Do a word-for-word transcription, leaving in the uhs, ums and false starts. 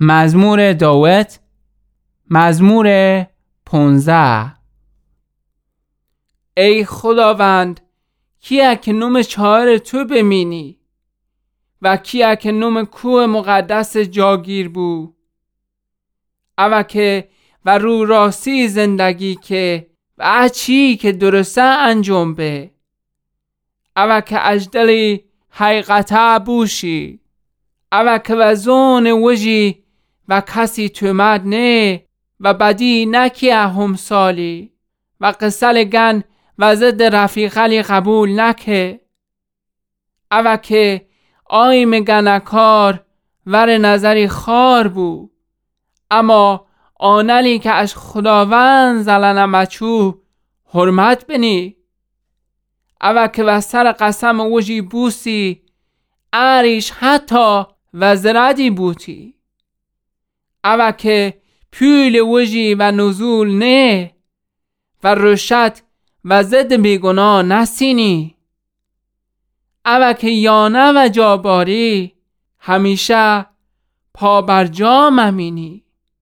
مزمور داود، مزمور پونزده. ای خوداوند، کیه که نوم چهار تو بمینی و کیه که نوم کوه مقدس جاگیر بو؟ اوه که و رو راستی زندگی که و ا چی که درسته انجام به. اوه که اجدلی حقیقته بوشی. اوه که و زون وجی و کسی تومت نه و بدی نکیه همسالی و قسل گن و ضد رفیقلی قبول نکه. اوه که آیمٚ گنه‌کار ور نظری خوار بو، اما آنلی که اش خوداوند زلنه مچو حرمت بنی. اوه که و سر قسم وجی بوسی، اریش حتی و زردی بوتی. اوه که پول وجی و نزول نه و رشوت و ضد بیگناه نسینی. اوه که یانه و جاباری همیشه پا بر جا ممینی.